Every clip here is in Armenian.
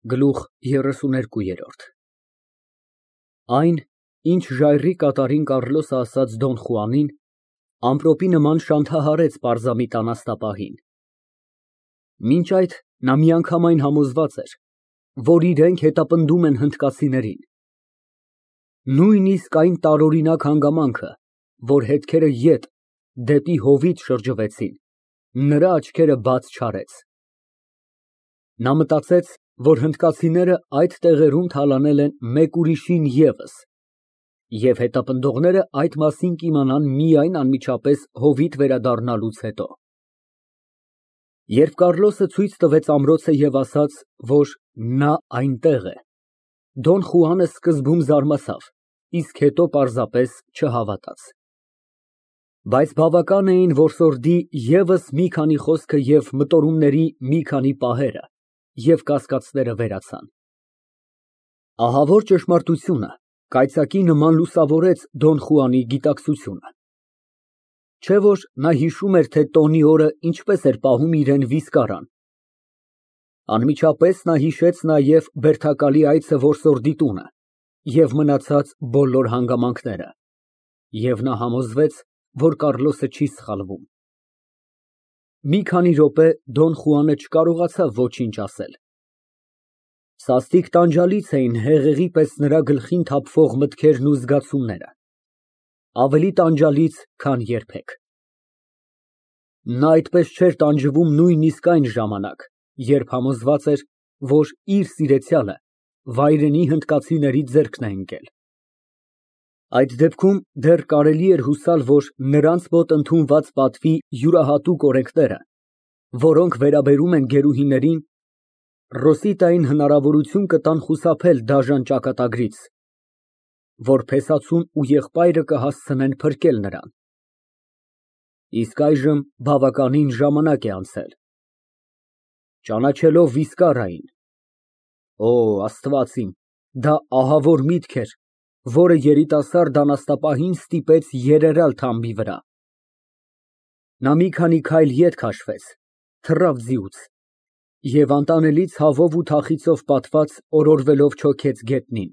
Գլուխ 32 Այն, ինչ ժայռի կատարին Կառլոսը ասաց Դոն Խուանին, ամպրոպի նման շանթահարեց պարզամիտ անաստապահին. մինչ այդ նա միանգամայն համոզված էր, որ իրենք հետապնդում են հնդկացիներին. նույնիսկ այն տարօրինակ հանգամանքը, որ հետքերը ետ, դեպի հովիտ շրջվեցին, նրա աչքերը բաց չարեց։ Նա մտածեց, որ հնդկացիները այդ տեղերում թալանել են մեկ ուրիշին ևս, և հետապնդողները այդ մասին կիմանան միայն անմիջապես հովիտ վերադառնալուց հետո։ Երբ Կառլոսը ցույց տվեց ամրոցը և ասաց, որ նա այնտեղ է, Դոն Խուանը սկզբում զարմացավ, իսկ հետո պարզապես չհավատաց։ Բայց բավական էին որսորդի ևս մի քանի խոսքը և մտորումների մի քանի պահերը, և կասկածները վերացան։ Ահա որ ճշմարտությունը կայծակի նման լուսավորեց Դոն Խուանի գիտակցությունը։ Չէ՞ որ նա հիշում էր, թե տոնի օրը ինչպես էր պահում իրան վիսկարան։ Անմիջապես նա հիշեց նաև բերդակալի այցը որսորդի տունը և մնացած բոլոր հանգամանքները, և նա համոզվեց, որ Կառլոսը չի սխալվում։ Մի քանի րոպե Դոն Խուանը չկարողացավ ոչինչ ասել։ Սաստիկ տանջալից էին հեղեղի պես նրա գլխին թափվող մտքերն ու զգացումները, ավելի տանջալից, քան երբեք։ Նա այդպես չէր տանջվում նույնիսկ այն ժամանակ, երբ համոզված էր, որ իր սիրեցյալը վայրենի հնդկացիների ձեռքն է ընկել։ Այդ դեպքում դեռ կարելի էր հուսալ, որ նրանց մոտ ընդունված պատվի յուրահատուկ օրենքները, որոնք վերաբերում են գերուհիներին, Ռոսիտային հնարավորություն կտան խուսափել դաժան ճակատագրից, որ փեսացուն ու եղբայրը կհասցնեն փրկել նրան։ Իսկ այժմ բավականին ժամանակ է անցել։ Ճանաչելով վիսկարային, օ, Աստված իմ, դա ահավոր միտք էր, որը երիտասարդ անաստապահին ստիպեց երերալ թամբի վրա։ Նա մի քանի քայլ ետ քաշվեց, թռավ ձիուց և անտանելի ցավով ու թախիծով պատված օրորվելով չոքեց գետնին։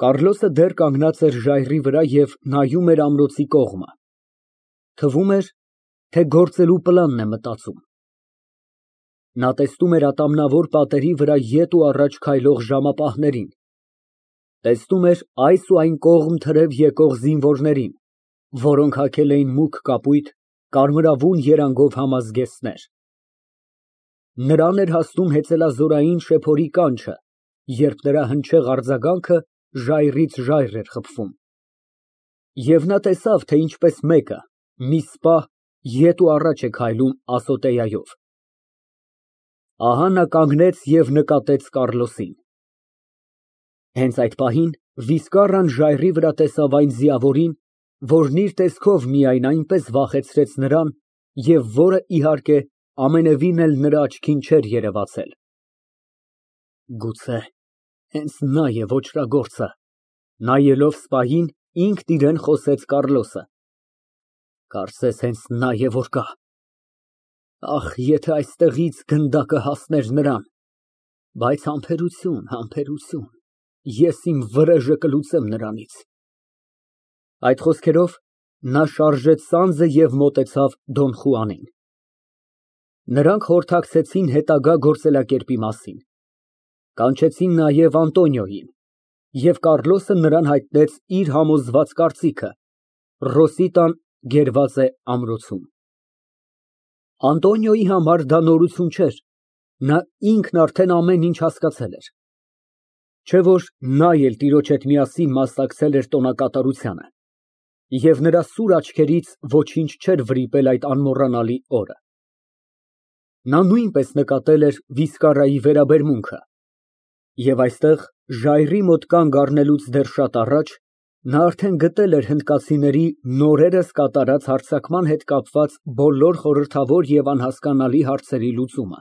Կառլոսը դեռ կանգնած էր ժայռի վրա և նայում էր ամրոցի կողմը։ Թվում էր, թե գործելու պլանն է մտածում։ Նա տեսնում էր ատամնավոր պատերի վրա ետ ու առաջ քայլող ժամապահներին, տեսնում էր այս ու այն կողմ թրև եկող զինվորներին, որոնք հագել էին մուգ կապույտ, կարմրավուն երանգով համազգեստներ։ Նրան էր հասնում հեծելազորային շեփորի կանչը, երբ նրա հնչեղ արձագանքը ժայռից ժայռ էր խփվում։ Եվ նա տեսավ, թե ինչպես մեկը մի սպահ ետ ու առաջ է քայլում ասոտեայով։ Ահա նա կանգնեց և նկատեց Կառլոսին։ Հենց այդ պահին վիսկարան ժայռի վրա տեսավ այն ձիավորին, որն իր տեսքով միայն այնպես վախեցրեց նրան և որը, իհարկե, ամենևին էլ նրա աչքին չէր երևացել։ Գուցե հենց նա է ոճրագործը, նայելով սպահին, ինքն իրան խոսեց Կառլոսը։ Կարծես հենց նա է որ կա։ Ախ, եթե այստեղից գնդակը հասներ նրան, բայց համբերություն, ես իմ վրեժը կլուծեմ նրանից։ Այդ խոսքերով նա շարժեց սանձը և մոտեցավ Դոն Խուանին։ Նրանք խորհրդակցեցին հետագա գործելակերպի մասին, կանչեցին նաև Անտոնիոյին, և Կառլոսը նրան հայտնեց իր համոզված կարծիքը. Ռոսիտան գերված է ամրոցում։ Անտոնիոյի համար դա նորություն չէր, նա ինքն արդեն ամեն ինչ հասկացել էր։ Չէ՞ որ նա էլ տիրոջ հետ միասին մասնակցել էր տոնակատարությանը, և նրա սուր աչքերից ոչինչ չէր վրիպել այդ անմոռանալի օրը։ Նա նույնպես նկատել էր վիսկարայի վերաբերմունքը, և այստեղ, ժայռի մոտ կանգ առնելուց դեռ շատ առաջ, նա արդեն գտել էր հնդկացիների նորերս կատարած հարձակման հետ կապված բոլոր խորհրդավոր և անհասկանալի հարցերի լուծումը։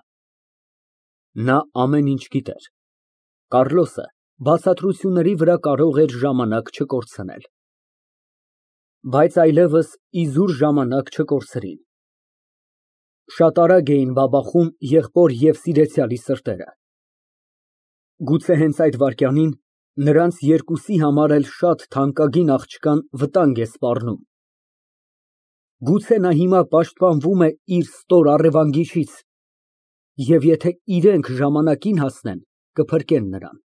Նա ամեն ինչ գիտեր։ Կառլոսը բացատրությունների վրա կարող էր ժամանակ չկորցնել։ Բայց այլևս իզուր ժամանակ չկորցրին։ Շատ արագ էին բաբախում եղբոր և սիրեցյալի սրտերը։ Գուցե հենց այդ վայրկյանին նրանց երկուսի համար էլ շատ թանկագին աղջկան վտանգ է սպառնում։ Գուցե նա հիմա պաշտպանվում է իր ստոր առևանգիչից, և եթե իրենք ժամանակին հասնեն, կփրկեն նրան։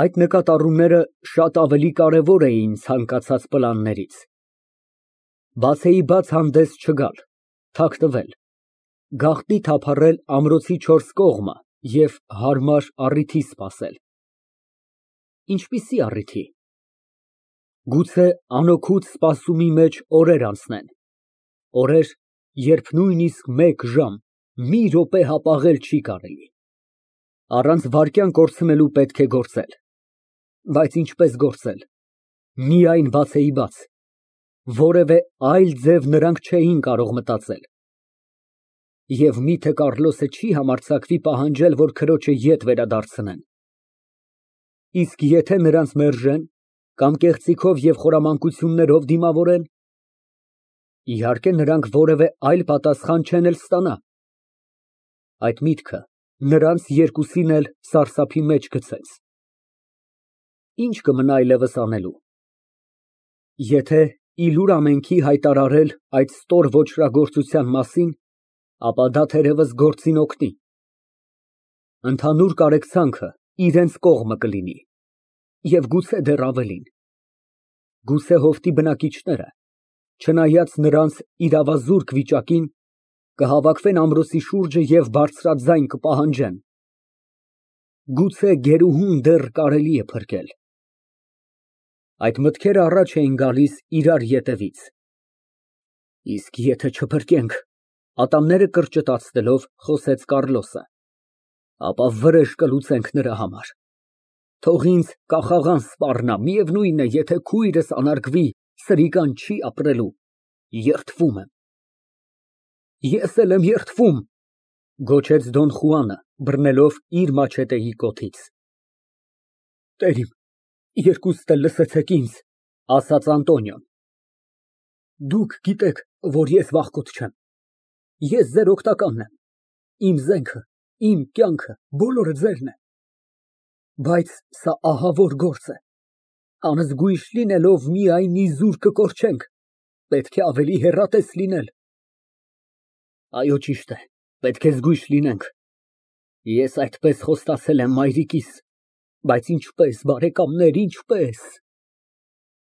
Այդ նկատառումները շատ ավելի կարևոր էին ցանկացած պլաններից։ Բացեիբաց հանդես չգալ, թաքնվել, գաղտնի թափառել ամրոցի չորս կողմը և հարմար առիթի սպասել։ Ինչպիսի առիթի։ Գուցե անօգուտ սպասումի մեջ օրեր անցնեն, օրեր, երբ նույնիսկ մեկ ժամ, մի րոպե հապաղել չի կարելի։ Առանց վայրկյան կորցնելու պետք է գործել։ Բայց ինչպես գործել։ Միայն բացեիբաց։ Որևէ այլ ձև նրանք չէին կարող մտածել։ Եվ մի՞թե Կառլոսը չի համարձակվի պահանջել, որ քրոջը ետ վերադարձնեն։ Իսկ եթե նրանց մերժեն կամ կեղծիքով և խորամանկություններով դիմավորեն, իհարկե նրանք որևէ այլ պատասխան չեն էլ ստանա։ Այդ միտքը նրանց երկուսին էլ սարսափի մեջ գցեց։ Ինչ կմնա այլևս անելու։ Եթե իլուր ամենքի հայտարարել այդ ստոր ոճրագործության մասին, ապա դա թերևս գործին օգնի։ Ընդհանուր կարեկցանքը իրենց կողմը կլինի, և գուցե դեռ ավելին։ Գուցե հովտի բնակիչները, չնայած նրանց իրավազուրկ վիճակին, կհավաքվեն ամրոցի շուրջը և բարձրաձայն կպահանջեն. գուցե գերուհուն դեռ կարելի է փրկել։ Այդ մտքերը առաջ էին գալիս իրար ետևից։ Իսկ եթե չփրկենք, ատամները կրճտացնելով խոսեց Կառլոսը, ապա վրեժ կլուծենք նրա համար։ Թող ինձ կախաղան սպառնա, միևնույն է, եթե քույրս անարգվի, սրիկան չի ապրելու, երդվում եմ։ Ես էլ եմ երդվում, գոչեց Դոն Խուանը, բռնելով իր մաչետեի կոթից։ Տեր իմ, երկուստ էլ լսեցեք ինձ, ասաց Անտոնիոն։ Դուք գիտեք, որ ես վախկոտ չեմ։ Ես ձեր օգնականն եմ, իմ զենքը, իմ կյանքը, բոլորը ձերն է։ Բայց սա ահավոր գործ է։ Անզգույշ լինելով միայն իզուր կկորչենք, պետք է ավելի հեռատես լինել։ Այո, ճիշտ է, պետք է զգույշ լինենք։ Ես այդպես խոստացել եմ մայրիկիս, բայց ինչպես, բարեկամներ, ինչպես։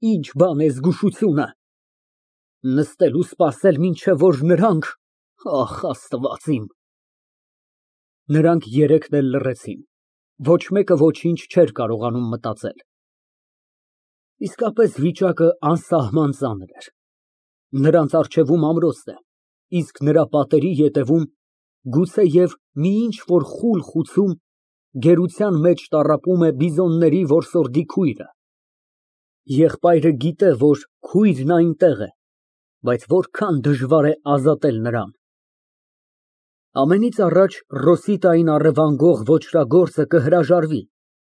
Ինչ բան է զգուշությունը։ Նստել ու սպասել, մինչև որ նրանք, ախ, Աստված իմ։ Նրանք երեքն էլ լռեցին, ոչ մեկը ոչինչ չէր կարողանում մտածել։ Իսկապես վիճակը անսահման ծանր էր։ Նրանց առջևում ամրոցն է, իսկ նրա պատերի ետևում գուցեև մի ինչ֊որ խուլ խուցում գերության մեջ տառապում է բիզոնների որսորդի քույրը։ Եղբայրը գիտե, որ քույրն այնտեղ է, բայց որքան դժվար է ազատել նրան։ Ամենից առաջ Ռոսիտային առևանգող ոճրագործը կհրաժարվի,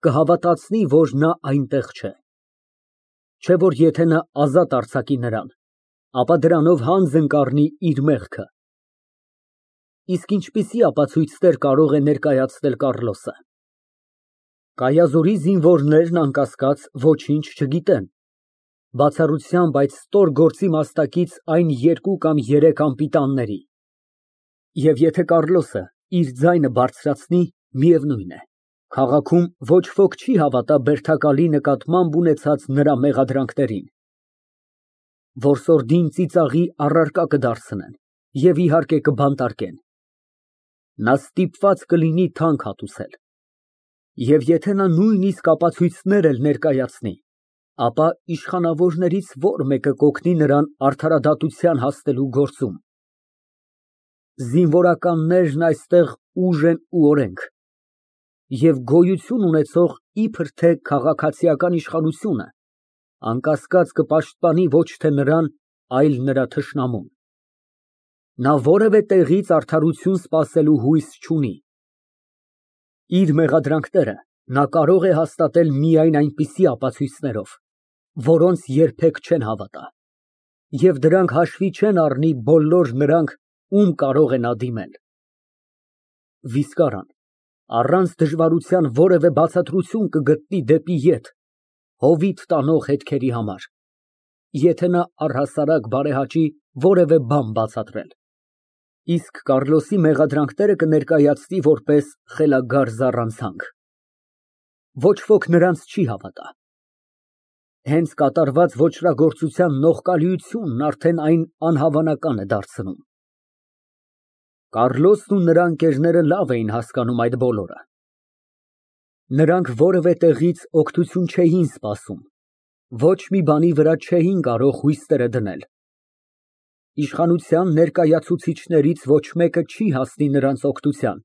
կհավատացնի, որ նա այնտեղ չէ։ Չէ որ եթե նա ազատ արձակի նրան, ապա դրանով հանձն կառնի իր մեղքը։ Իսկ ինչպիսի ապացույցներ կարող է ներկայացնել Կառլոսը։ Կայազորի զինվորներն անկասկած ոչինչ չգիտեն, բացառությամբ այդ ստոր գործի մասնակից այն երկու կամ երեք անպիտանների։ Եվ եթե Կառլոսը իր ձայնը բարձրացնի, միևնույն է, քաղաքում ոչ ոք չի հավատա բերդակալի նկատմամբ ունեցած նրա մեղադրանքներին։ Որսորդին ծիծաղի առարկա կդարձնեն և իհարկե կբանտարկեն։ Նա ստիպված կլինի թանկ հատուցել։ Եվ եթե նա նույնիսկ ապացույցներ էլ ներկայացնի, ապա իշխանավորներից որ մեկը կօգնի նրան արդարադատության հասնելու գործում։ Զինվորականներն այստեղ ուժ են ու օրենք, և գոյություն ունեցող իբր թե քաղաքացիական իշխանությունը անկասկած կպաշտպանի ոչ թե նրան, այլ նրա թշնամուն։ Նա որևէ տեղից արդարություն սպասելու հույս չունի։ Իր մեղադրանքները նա կարող է հաստատել միայն այնպիսի ապացույցներով, որոնց երբեք չեն հավատա, և դրանք հաշվի չեն առնի բոլոր նրանք, ում կարող է նա դիմել։ Վիսկարան, Առանց դժվարության որևէ բացատրություն կգտնի դեպի ետ, հովիտ տանող հետքերի համար, եթե նա առհասարակ բարեհաճի որևէ բան բացատրել, իսկ Կառլոսի մեղադրանքները կներկայացնի որպես խելագար զառանցանք։ Ոչ ոք նրանց չի հավատա։ Հենց կատարված ոճրագործության նողկալիությունն արդեն այն անհավանական է դարձնում։ Կառլոսն ու նրա ընկերները լավ էին հասկանում այդ բոլորը։ Նրանք որևէ տեղից օգնություն չէին սպասում, ոչ մի բանի վրա չէին կարող հույսերը դնել։ Իշխանության ներկայացուցիչներից ոչ մեկը չի հասնի նրանց օգնության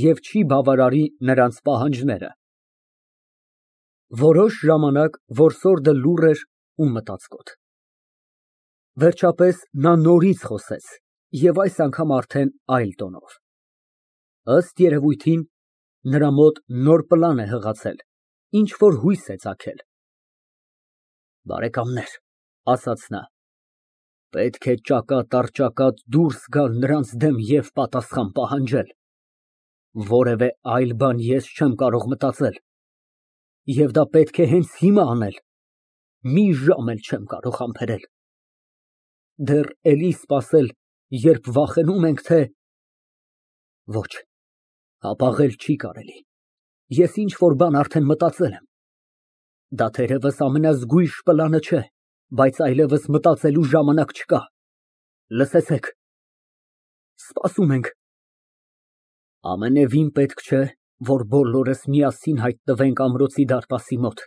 և չի բավարարի նրանց պահանջները։ Որոշ ժամանակ որսորդը լուռ էր ու մտածկոտ։ Վերջապես նա նորից խոսեց և այս անգամ արդեն այլ տոնով։ Ըստ երևույթին, նրա մոտ նոր պլան է հղացել, ինչ֊որ հույս է ծագել։ Բարեկամներ, ասաց նա, պետք է ճակատ առ ճակատ դուրս գալ նրանց դեմ և պատասխան պահանջել։ Որևէ այլ բան ես չեմ կարող մտածել։ Եվ դա պետք է հենց հիմա անել, մի ժամ էլ չեմ կարող համբերել։ Դեռ էլի սպասել, երբ վախենում ենք, թե… Ոչ, հապաղել չի կարելի, ես ինչ֊որ բան արդեն մտածել եմ։ Դա թերևս ամենազգույշ պլանը չէ, բայց այլևս մտածելու ժամանակ չկա։ Լսեցեք, սպասում ենք։ Ամենևին պետք չէ, որ բոլորս միասին հայտնվենք ամրոցի դարպասի մոտ։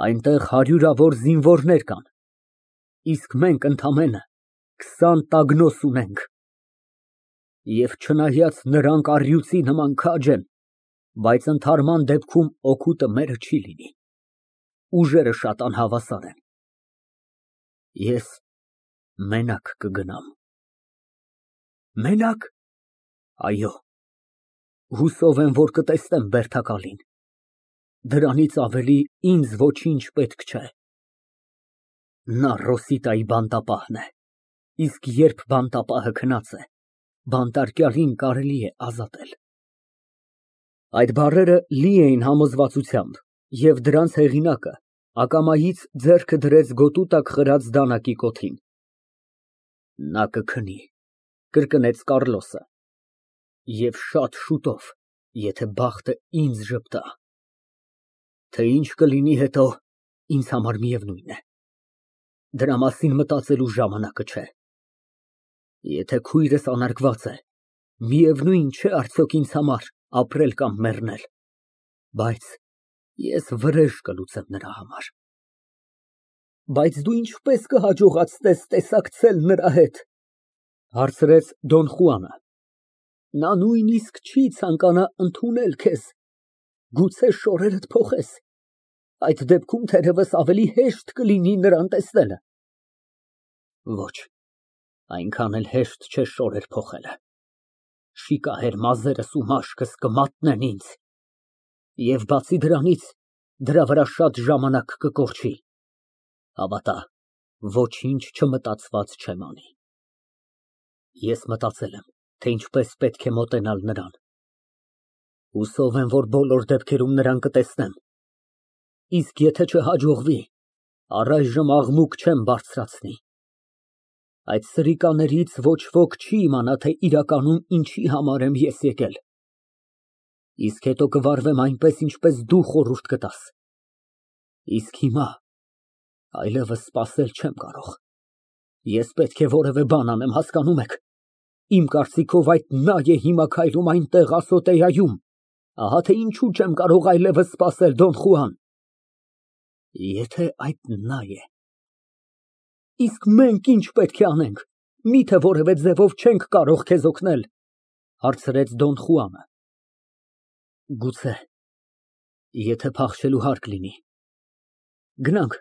Այնտեղ հարյուրավոր զինվորներ կան, իսկ մենք ընդամենը 20 տագնոս ունենք։ Եվ չնայած նրանք առյուծի նման քաջ են, բայց ընդհարման դեպքում օգուտը մերը չի լինի։ Ուժերը շատ անհավասար են։ Ես մենակ կգնամ։ Մենակ։ Այո։ Հուսով եմ, որ կտեսնեմ Բերդակալին։ Դրանից ավելի ինձ ոչինչ պետք չէ։ Նա Ռոսիտայի բանտապահն է, իսկ երբ բանտապահը քնած է, բանտարկյալին կարելի է ազատել։ Այդ բառերը լի էին համոզվածությամբ, և դրանց հեղինակը ակամայից ձեռքը դրեց գոտու տակ խրած դանակի կոթին։ Նա կքնի, կրկնեց Կառլոսը, և շատ շուտով, եթե բախտը ինձ ժպտա։ Թե ինչ կլինի հետո, ինձ համար միևնույն է։ Դրա մասին մտածելու ժամանակը չէ։ Եթե քույրս անարգված է, միևնույն չէ արդյոք ինձ համար ապրել կամ մեռնել, բայց ես վրեժ կլուծեմ նրա համար։ Բայց դու ինչպես կհաջողացնես տեսակցել նրա հետ, հարցրեց Դոն Խուանը։ Նա նույնիսկ չի ցանկանա ընդունել քեզ, գուցե շորերդ փոխես, այդ դեպքում թերևս ավելի հեշտ կլինի նրան տեսնելը։ Ոչ, այնքան էլ հեշտ չէ շորեր փոխելը։ Շիկահեր մազերս ու մաշկս կմատնեն ինձ, և բացի դրանից, դրա վրա շատ ժամանակ կկորչի։ Հավատա, ոչինչ չմտածված չեմ անի։ Ես մտածել եմ, թե ինչպես պետք է մոտենալ նրան։ Հուսով եմ, որ բոլոր դեպքերում նրան կտեսնեմ։ Իսկ եթե չհաջողվի, առայժմ աղմուկ չեմ բարձրացնի։ Այդ սրիկաներից ոչ ոք չի իմանա, թե իրականում ինչի համար եմ ես եկել։ Իսկ հետո կվարվեմ այնպես, ինչպես դու խորհուրդ կտաս։ Իսկ հիմա այլևս սպասել չեմ կարող։ Ես պետք է որևէ բան անեմ, հասկանում եք։ Իմ կարծիքով այդ նա է հիմա քայլում այնտեղ ասոտեայում։ Ահա թե ինչու չեմ կարող այլևս սպասել, Դոն Խուան։ Եթե այդ նա է, իսկ մենք ինչ պետք է անենք, միթե որևէ ձևով չենք կարող քեզ օգնել, հարցրեց Դոն Խուանը։ Գուցե, եթե փախչելու հարկ լինի։ Գնանք,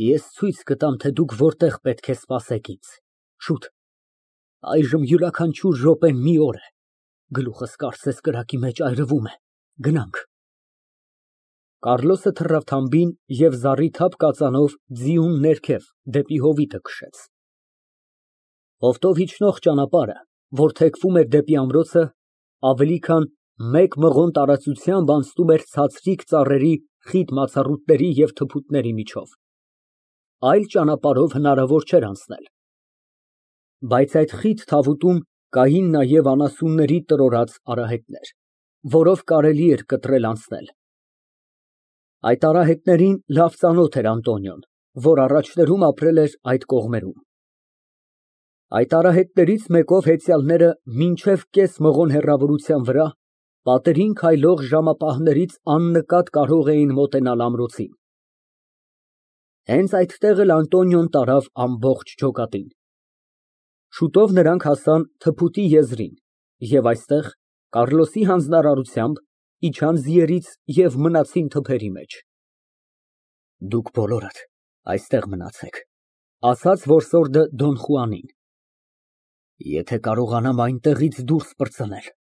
ես ցույց կտամ, թե դուք որտեղ պետք է սպասեք ինձ, շուտ։ Այժմ յուրաքանչյուր րոպեն մի օր է, գլուխս կարծես կրակի մեջ այրվում է, գնանք։ Կառլոսը թռավ թամբին և զառիթափ կածանով ձիուն ներքև դեպի հովիտը քշեց։ Հովտով իջնող ճանապարհը, որ թեքվում էր դեպի ամրոցը, ավելի քան Մեկ մղոն տարածությամբ անցնում էր ցածրիկ ծառերի խիտ մացառուտների և թփուտների միջով, այլ ճանապարհով հնարավոր չէր անցնել, բայց այդ խիտ թավուտում կային նաև անասունների տրորած արահետներ, որով կարելի էր կտրել անցնել։ Այդ արահետներին լավ ծանոթ էր Անտոնիոն, որ առաջներում ապրել էր այդ կողմերում։ Այդ արահետներից մեկով հեծյալները մինչև կես մղոն հեռավորության վրա պատերին քայլող ժամապահներից աննկատ կարող էին մոտենալ ամրոցին։ Հենց այդտեղ էլ Անտոնիոն տարավ ամբողջ ջոկատին։ Շուտով նրանք հասան թփուտի եզրին և այստեղ, Կառլոսի հանձնարարությամբ, իջան ձիերից և մնացին թփերի մեջ։ Դուք բոլորդ այստեղ մնացեք, ասաց որսորդը Դոն Խուանին։ Եթե կարողանամ այնտեղից դուրս պրծնել,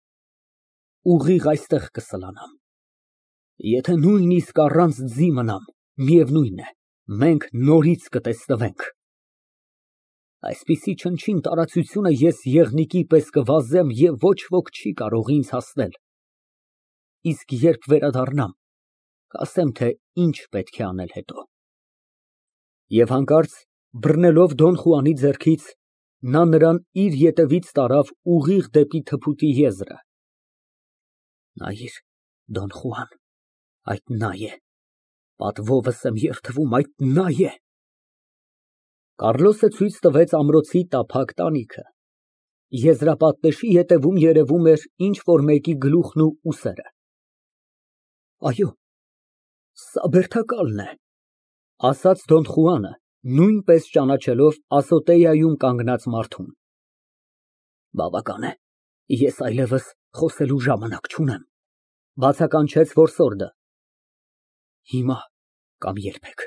ուղիղ այստեղ կսլանամ։ Եթե նույնիսկ առանց ձի մնամ, միևնույն է, մենք նորից կտեսնվենք։ Այսպիսի չնչին տարածությունը ես եղնիկի պես կվազեմ և ոչ ոք չի կարող ինձ հասնել։ Իսկ երբ վերադառնամ, կասեմ, թե ինչ պետք է անել հետո։ Եվ հանկարծ բռնելով Դոն Խուանի ձեռքից, նա նրան իր ետևից տարավ ուղիղ դեպի թփուտի եզրը։ Նայիր, Դոն Խուան, այդ նա է, պատվովս եմ երդվում, այդ նա է։ Կառլոսը ցույց տվեց ամրոցի տափակ տանիքը։ Եզրապատնեշի ետևում երևում էր ինչ֊որ մեկի գլուխն ու ուսերը։ Այո, սա բերդակալն է, ասաց Դոն Խուանը, նույնպես ճանաչելով ասոտեայում կանգնած մարդուն։ Բավական է, ես այլևս խոսելու ժամանակ չունեմ, բացականչեց որսորդը։ Հիմա կամ երբեք։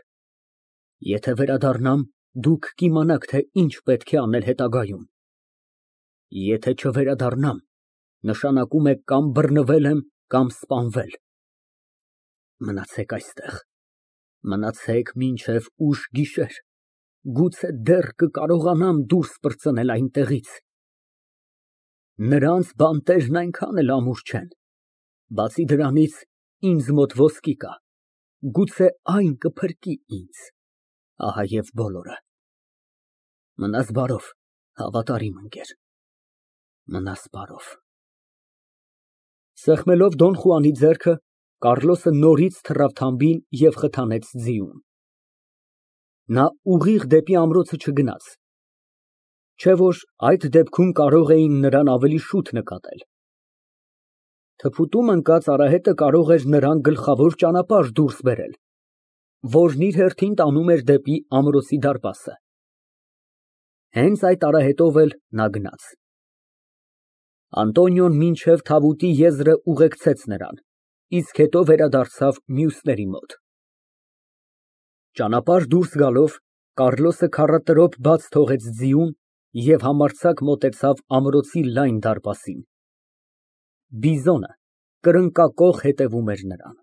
Եթե վերադառնամ, դուք կիմանաք, թե ինչ պետք է անել հետագայում։ Եթե չվերադառնամ, նշանակում է կամ բռնվել եմ, կամ սպանվել։ Մնացեք այստեղ, մնացեք մինչև ուշ գիշեր, գուցե դեռ կկարողանամ դուրս պրծնել այնտեղից։ Նրանց բանտերն այնքան էլ ամուր չեն, բացի դրանից ինձ մոտ ոսկի կա, գուցե այն կփրկի ինձ, ահա և բոլորը։ Մնաս բարով, հավատարիմ ընկեր, մնաս բարով։ Սեղմելով Դոն Խուանի ձեռքը, Կառլոսը նորից թռավ թամբին և խթանեց ձիուն։ Նա ուղիղ դեպի ամրոցը չգնաց, չէ՞ որ այդ դեպքում կարող էին նրան ավելի շուտ նկատել։ Թփուտում ընկած արահետը կարող էր նրան գլխավոր ճանապարհ դուրս բերել, որն իր հերթին տանում էր դեպի ամրոցի դարպասը։ Հենց այդ արահետով էլ նա գնաց։ Անտոնիոն մինչև թավուտի եզրը ուղեկցեց նրան, իսկ հետո վերադարձավ մյուսների մոտ։ Ճանապարհ դուրս գալով, Կառլոսը քառատրոփ բաց թողեց ձիուն և համարձակ մոտեցավ ամրոցի լայն դարպասին։ Բիզոնը կրկնակոխ հետևում էր նրան։